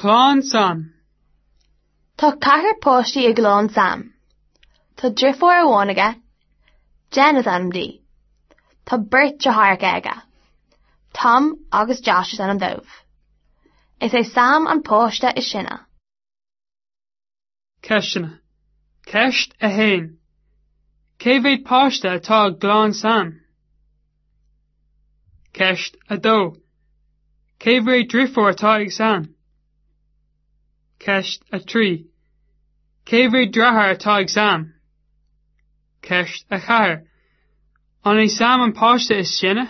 Clann Sam. Tá ceathrar páistí i gclann Sam. Tá deirfiúr amháin aige, Jen is ainm di. Tá beirt deartháireacha aige, Tom agus Josh is ainm dóibh. Is é Sam an páiste is sine. Ceisteanna. Ceist 1. Cé mhéad páiste atá i gclann Sam? Ceist 2. Cé mhéad deirfiúr atá ag Sam? Ceist 3. Cé mhéad deartháir atá ag Sam? Ceist 4. An é Sam an páiste is sine?